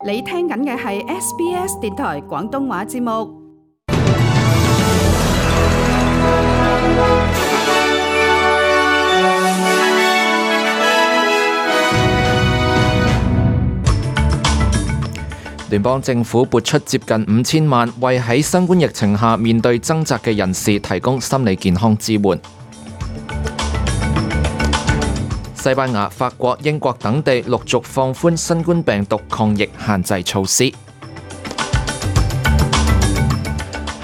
你聽緊嘅係 SBS 電台廣東話節目。聯邦政府撥出接近5000萬，為喺新冠疫情下面對掙扎嘅人士提供心理健康支援。西班牙、法國、英國等地陸續放寬新冠病毒抗疫限制措施。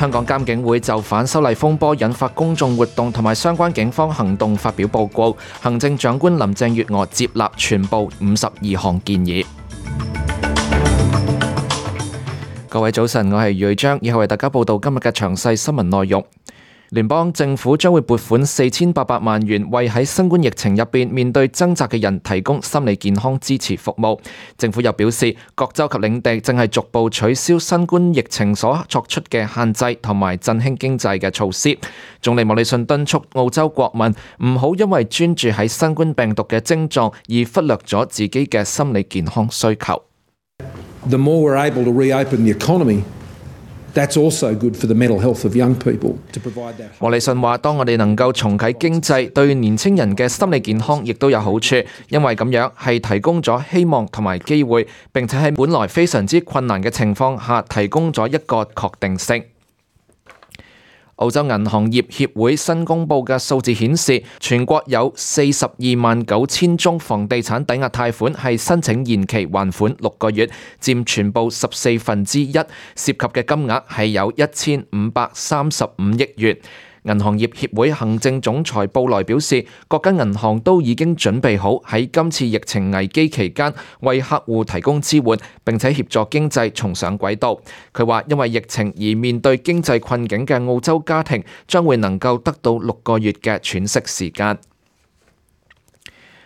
香港監警會就反修例風波引發公眾活動同埋相關警方行動發表報告，行政長官林鄭月娥接納全部52項建議。各位早晨，我係余章，以後為大家報道今日嘅詳細新聞內容。聯邦政府將會撥款4800萬元，為喺新冠疫情入邊面對掙扎嘅人提供心理健康支持服務。政府又表示，各州及領地正係逐步取消新冠疫情所作出嘅限制同埋振興經濟嘅措施。總理莫里遜敦促澳洲國民唔好因為專注喺新冠病毒嘅症狀而忽略咗自己嘅心理健康需求。The more we're able to reopen the economy, that's also good for the mental health of young people to provide that. 莫里遜話：當我哋能夠重啟經濟，對年輕人嘅心理健康亦都有好處，因為咁樣係提供咗希望同埋機會，並且喺本來非常之困難嘅情況下提供咗一個確定性。澳洲銀行業協會新公佈嘅數字顯示，全國有429000宗房地產抵押貸款係申請延期還款6個月，佔全部1/14，涉及嘅金額係有1535億元。銀行業協會行政總裁布萊表示，各間銀行都已經準備好喺今次疫情危機期間為客戶提供支援，並且協助經濟重上軌道。佢話，因為疫情而面對經濟困境嘅澳洲家庭將會能夠得到6個月嘅喘息時間。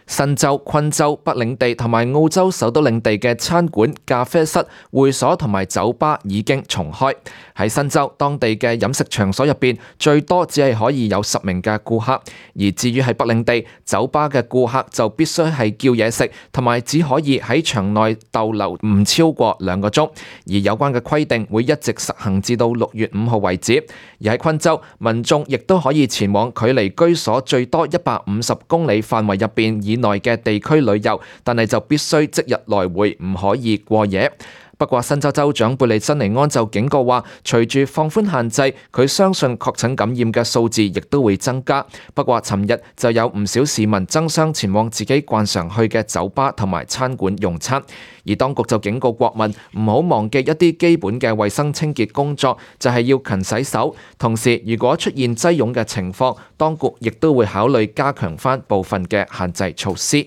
新州、昆州、北領地同埋澳洲首都領地嘅餐館、咖啡室、會所同埋酒吧已經重開。喺新州，當地嘅飲食場所入邊最多只係可以有10名嘅顧客，而至於喺北領地，酒吧嘅顧客就必須係叫嘢食，同埋只可以喺場內逗留唔超過2個鐘。而有關嘅規定會一直實行至到6月5號為止。而喺昆州，民眾亦都可以前往距離居所最多150公里範圍入邊以內嘅地區旅遊，但係就必須即日來回，唔可以過夜。不過新州州長貝利珍尼安就警告話，隨住放寬限制，佢相信確診感染嘅數字亦都會增加。不過尋日就有唔少市民爭相前往自己慣常去嘅酒吧同埋餐館用餐，而當局就警告國民唔好忘記一啲基本嘅衛生清潔工作，就係要勤洗手。同時，如果出現擠擁嘅情況，當局亦都會考慮加強翻部分嘅限制措施。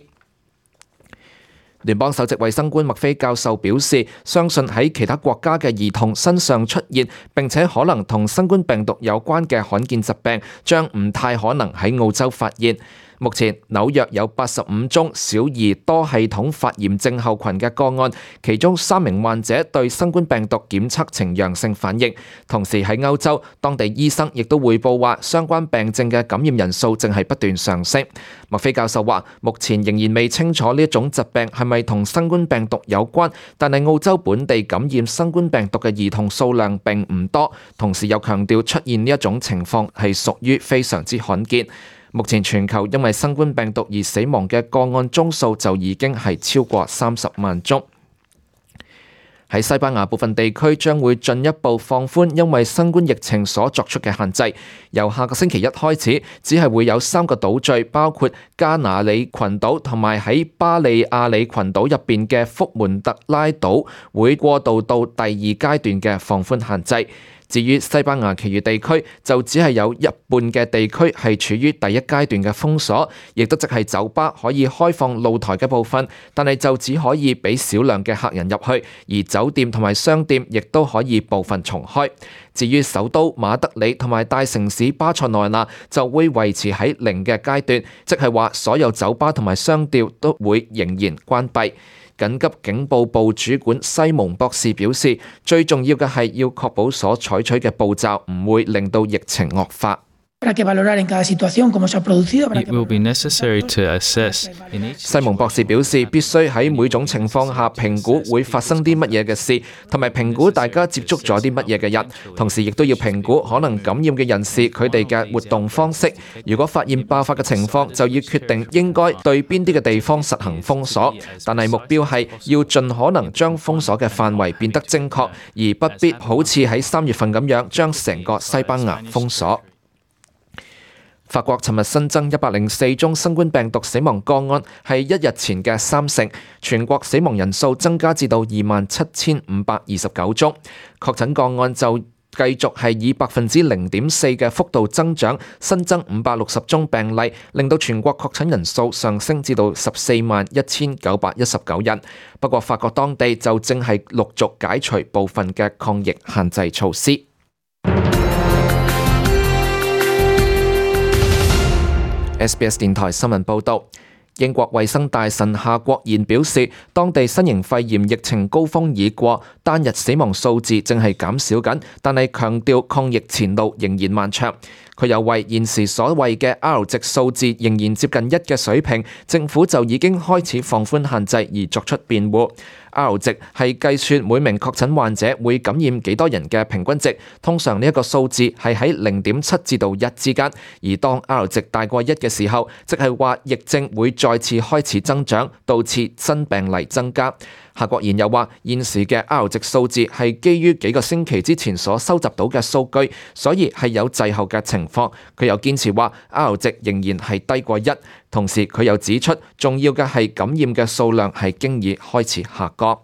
聯邦首席衛生官麥菲教授表示，相信喺其他國家嘅兒童身上出現並且可能同新冠病毒有關嘅罕見疾病，將唔太可能喺澳洲發現。目前紐約有85宗小兒多系統發炎症候群嘅個案，其中3名患者對新冠病毒檢測呈陽性反應。同時喺歐洲，當地醫生亦都匯報話，相關病症嘅感染人數正係不斷上升。麥菲教授話，目前仍然未清楚呢一種疾病係咪同新冠病毒有關，但係澳洲本地感染新冠病毒嘅兒童數量並唔多。同時又強調出現呢一種情況係屬於非常之罕見。目前全球因為新冠病毒而死亡嘅個案宗數就已經係超過30萬宗。喺西班牙部分地區將會進一步放寬因為新冠疫情所作出嘅限制，由下個星期一開始，只係會有3個島嶼，包括加那利群島同埋喺巴利亞里群島入邊嘅福門特拉島，會過渡到第2階段嘅放寬限制。至於西班牙其餘地區，就只係有一半嘅地區係處於第1階段嘅封鎖，亦都即係酒吧可以開放露台嘅部分，但係就只可以俾少量嘅客人入去，而酒店同埋商店亦都可以部分重開。至於首都馬德里同埋大城市巴塞羅那就會維持喺0嘅階段，即係話所有酒吧同埋商店都會仍然關閉。緊急警報部主管西蒙博士表示，最重要嘅係要確保所採取嘅步驟唔會令到疫情惡化。que valorar en cada situación cómo se ha producido. It will be necessary to assess in each 西蒙博士表示，必須喺每種情況下評估會發生啲乜嘢嘅事，同埋評估大家接觸咗啲乜嘢嘅人，同時亦都要評估可能感染嘅人士佢哋嘅活動方式。如果發現爆發嘅情況，就要決定應該對邊啲嘅地方實行封鎖。但係目標係要盡可能將封鎖嘅範圍變得精確，而不必好似喺3月份咁樣將成個西班牙封鎖。法國尋日新增104宗新冠病毒死亡個案，係一日前嘅30%，全國死亡人數增加至到27,529宗，確診個案就繼續係以0.4%嘅幅度增長，新增560宗病例，令到全國確診人數上升至到141919人。不過法國當地就正係陸續解除部分嘅抗疫限制措施。SBS 電台新聞報導，英國衛生大臣夏國賢表示，當地新型肺炎疫情高峰已過，單日死亡數字正係減少緊，但係強調抗疫前路仍然漫長。佢又為現時所謂嘅 R 值數字仍然接近1嘅水平，政府就已經開始放寬限制而作出辯護。R 值係計算每名確診患者會感染幾多人嘅平均值，通常呢一個數字係喺0.7至到1之間，而當 R 值大過1嘅時候，即係話疫症會再次開始增長，導致新病例增加。夏國賢又話，現時嘅 R 值數字係基於幾個星期之前所收集到嘅數據，所以係有滯後嘅情況。佢又堅持話 R 值仍然係低過1，同時佢又指出，重要嘅係感染嘅數量係經已開始下降。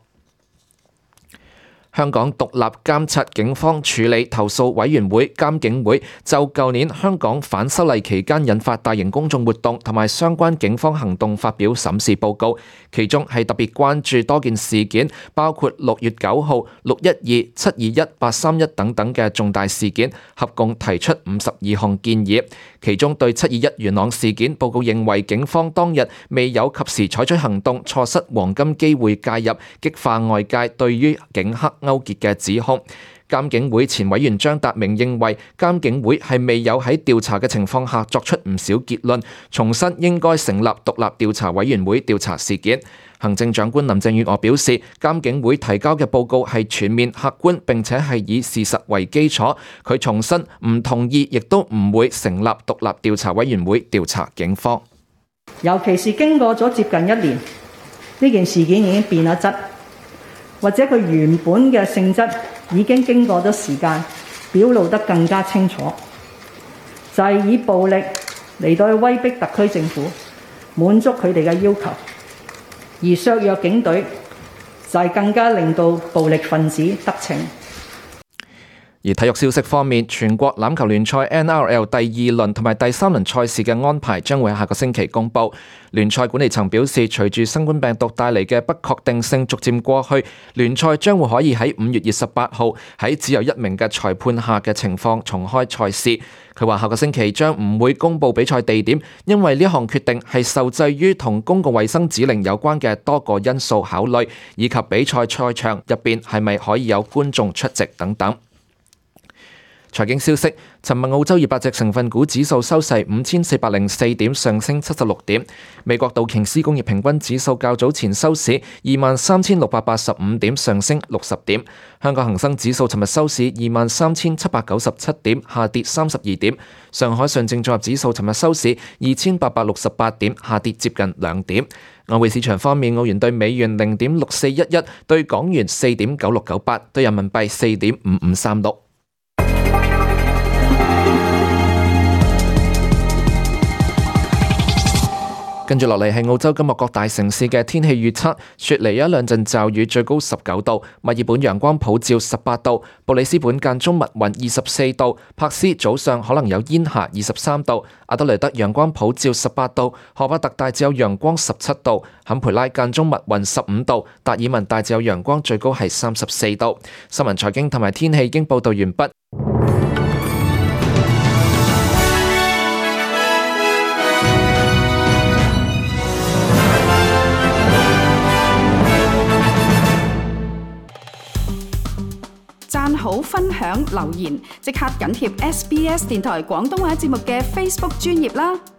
香港獨立監察警方處理投訴委員會監警會就舊年香港反修例期間引發大型公眾活動同埋相關警方行動發表審視報告，其中係特別關注多件事件，包括6月9號、612、721、831等等嘅重大事件，合共提出52項建議。其中對721元朗事件，報告認為警方當日未有及時採取行動，錯失黃金機會介入，激化外界對於警黑勾結嘅指控。監警會前委員張達明認為，監警會係未有喺調查嘅情況下作出唔少結論，重申應該成立獨立調查委員會調查事件。行政長官林鄭月娥表示，監警會提交嘅報告係全面客觀，並且係以事實為基礎。佢重申唔同意，亦都唔會成立獨立調查委員會調查警方。尤其是經過咗接近1年，呢件事件已經變咗質，或者佢原本嘅性質已經經過咗時間表露得更加清楚，就係以暴力嚟到去威逼特區政府滿足佢哋嘅要求，而削弱警隊就係更加令到暴力分子得逞。而體育消息方面，全國欖球聯賽 NRL 第2輪同埋第3輪賽事嘅安排將會喺下個星期公佈。聯賽管理層表示，隨住新冠病毒帶嚟嘅不確定性逐漸過去，聯賽將會可以喺5月28號喺只有1名嘅裁判下嘅情況重開賽事。佢話下個星期將唔會公佈比賽地點，因為呢項決定係受制於同公共衛生指令有關嘅多個因素考慮，以及比賽賽場入邊係咪可以有觀眾出席等等。財經消息，尋日澳洲200隻成分股指數收市5404點，上升76點。美國道瓊斯工業平均指數較早前收市23,685點，上升60點。香港恒生指數尋日收市23,797點，下跌32點。上海上證綜合指數尋日收市2868點，下跌接近2點。外匯市場方面，澳元對美元0.6411，對港元4.9698，對人民幣4.5536。跟住落嚟係澳洲今日各大城市嘅天氣預測，雪梨有一兩陣驟雨，最高19度；墨爾本陽光普照18度；布里斯本間中密雲24度；珀斯早上可能有煙霞23度；阿德雷德陽光普照18度；荷巴特大致有陽光17度；坎培拉間中密雲15度；達爾文大致有陽光，最高係34度。新聞財經同埋天氣已經報道完畢。好、分享、留言，即刻緊貼SBS 電台廣東話節目嘅 Facebook 專頁啦！